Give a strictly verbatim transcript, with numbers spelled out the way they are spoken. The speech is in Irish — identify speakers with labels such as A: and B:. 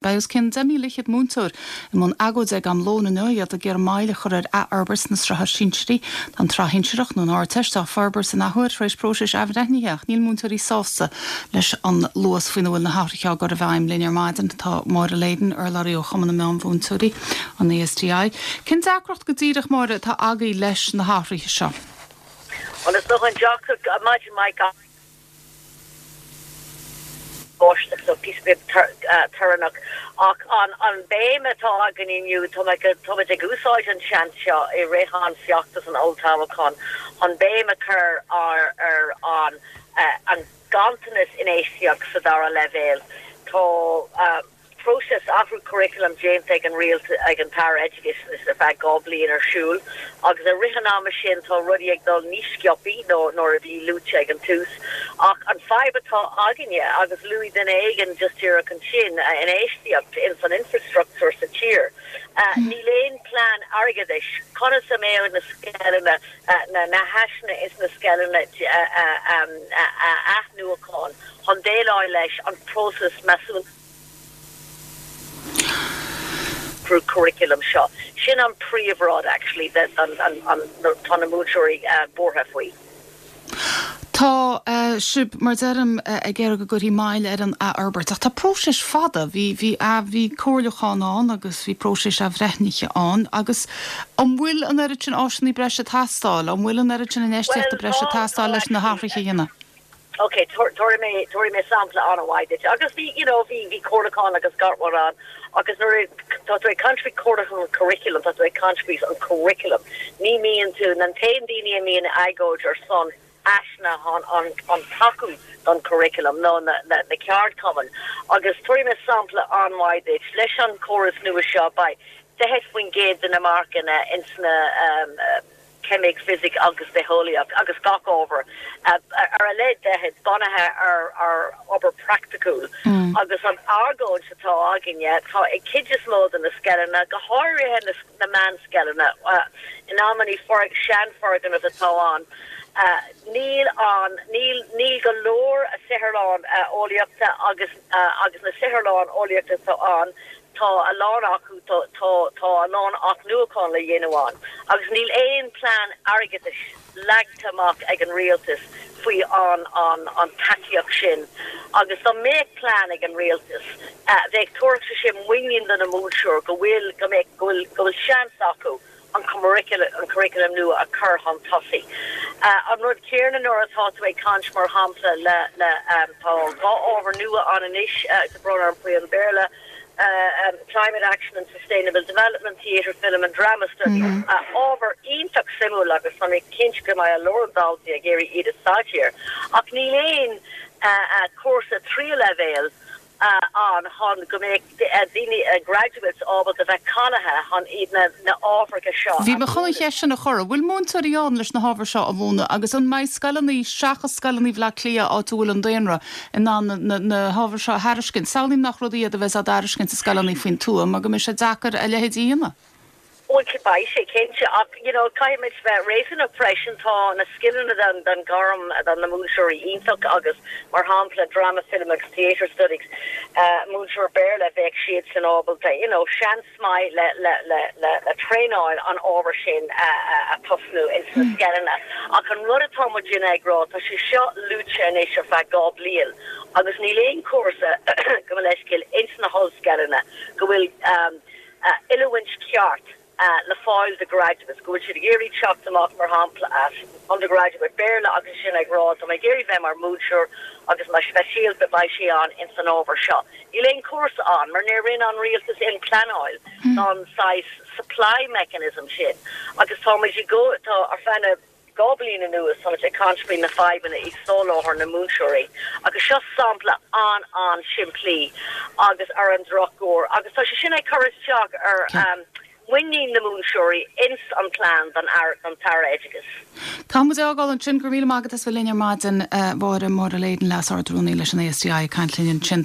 A: Beidh os cionn deich míle fichead múinteoir i mbun agóide ag am lóin inniu, iad ag iarraidh moill a chur ar athfhorbairt na sraithe sinsearaí. Tá an tsraith shinsearach nó an Ardteist á forbairt in athuair tar éis próisis athbhreithnithe ach níl múinteoirí sásta leis an luas faoina bhfuil na hathruithe á gcur i bhfeidhm. Linn ar maidin tá Máire Leyden, urlabhraí ó Chumann na Meánmhúinteoirí, an A S T I. Cén deacracht go díreach, Máire, atá agaibh leis na hathruithe seo?
B: Well, is dócha an deacracht maidin Mike báisteach, so píosa beag torannach, ach an an béim atá againn inniu, táimid ag úsáid an seans seo i rith an feachtas an olltoghcháin an béim a chur ar ar an an ganntanas infheistíocht sa dara leibhéal. Tá próiseas athrú curriculum déanta ag an rialtas, ag an tAire Oideachais, ar feadh dhá bliain ar siúl, agus i rith an ama sin tá rudaí ag dul níos sciobtha ná nuair a bhí luaite ag an tús. Ach an fadhb atá againne, agus luaigh duine éigin just díreach ansin, infheistíocht in san infrastruchtúr sa tír. Níl aon plean airgeadais conas a mbeadh na scoileanna, na na háiseanna is na scoileanna a athnuachan chun déileáil leis an próiseas measúnú curriculum seo. Sin an príomhrud actually that an an an tá na múinteoirí buartha faoi.
A: Tá uh, sibh, mar deirim, uh, ag iarraidh go gcuirfí moill ar an athfhorbairt, ach tá próiseas fada, bhí bhí bhí comhairliúchán ann agus bhí próiseas athbhreithnithe ann, agus an bhfuil an oiread sin áiseanna breise ag teastáil, an bhfuil an oiread sin infheistíochta breise ag teastáil leis na hathruithe a dhéanamh?
B: Ok, tabharfaidh mé tabharfaidh mé sampla an-mhaith agus bhí you know bhí bhí comhairliúchán agus gach rud ann, agus nuair tá tú ag caint faoi curriculum, tá tú ag caint faoi an curriculum, ní mbíonn tú na t-aon daoine a mbíonn agóid ar son áiseanna an an an tacú don curriculum nó na na, na ceardchumainn. Agus tabharfaidh mé sampla an-mhaith duit: leis an chóras nua seo beidh daichead faoin gcéad de na marcanna ins na um, uh, ceimic, fisic agus bitheolaíocht agus gach ábhar ar a leid daichead bunaithe ar ar obair praiticiúil mm. Agus an argóint atá againne, tá ag cuid is mó de na scoileanna, go háirithe na, na meánscoileanna, uh, in amannaí seanfhoirgnimh atá ann. Uh, níl an níl níl go leor a saotharlann uh, eolaíochta agus uh, agus na saotharlann eolaíochta atá ann, tá a lán acu tá tá a lán athnuachan le déanamh ann. Agus níl aon plean airgeadais leagtha amach ag an rialtas faoi an an an tacaíocht sin. Agus dá mbeadh plean ag an rialtas, uh, bheadh tabharfaidh sé muinín do na múinteoirí go bhfuil go mbeidh go bhfuil go bhfuil seans acu an an curriculum nua a chur chun tosaigh. Uh, an rud céanna nuair atá tú ag caint, mar shampla, le le um, tá dhá ábhar nua ann anois, uh, brón orm faoi an Béarla, uh, um, climate action and sustainable development, theatre, film and drama studies. Mm -hmm. uh, ábhar iontach suimiúil agus tá mé cinnte go mbeidh a lán daltaí ag iarraidh iad a staidéar. Ach níl aon uh, uh, cúrsa tríú leibhéal uh, ann chun go mbeidh daoine uh, graduates ábalta bheith cáilithe chun iad na, na ábhair seo.
A: Bhí mé chun an cheist sin a chur, bhfuil múinteoirí ann leis na hábhair seo a mhúineadh, agus an mbeidh scoileanna seachas scoileanna Bhaile Átha Cliath, áit a bhfuil an daonra, in ann na, na hábhair seo a thairiscint? Samhlaím nach rud iad a bheas á dtairiscint i scoileanna faoin tuath, mar go mbeidh sé deacair a leithéid a dhéanamh.
B: Well, beidh sé cinnte, ach you know caithfimid bheith réasúnach freisin. Tá na scileanna den den gairm den na múinteoirí iontach, agus mar shampla drama, film agus theatre studies, uh, múinteoir Béarla, bheadh siad san ábalta you know seans maith le le le le, le traenáil an ábhar sin uh, uh, a tosnú in sna hmm. scoileanna. Ach an rud atá muid ag rá, tá sé seo luaite anois ar feadh dhá bliain agus níl aon cúrsa go leiscil ins na hollscoileanna go bhfuil um, uh, oiliúint ceart uh, le fáil do graduates, go bhfuil siad ag iarraidh teacht amach, mar shampla, as undergraduate Béarla agus sin ag rá, "Tá mé ag iarraidh bheith mar múinteoir agus mar speisialta beidh sé ann in san ábhar seo." Níl aon cúrsa ann mar níor rinne an rialtas aon pleanáil mm. an size supply mechanism sin. Agus tá go tá ar feadh dhá bhliain anuas tá ag caint faoi na fadhbanna i soláthar na múinteoirí. Agus seo sampla an an simplí agus ar an drochuair, agus tá sé sin ag cur isteach ar um, muinín na múinteoirí ins an plean don don tAire Oideachais.
A: Tá mu ágáil ansin. Go míle maith agat as bheith linn ar maidin, Mháire Máire Leyden, Leas-Ardrúnaí leis an A S T I, ag caint linn ansin.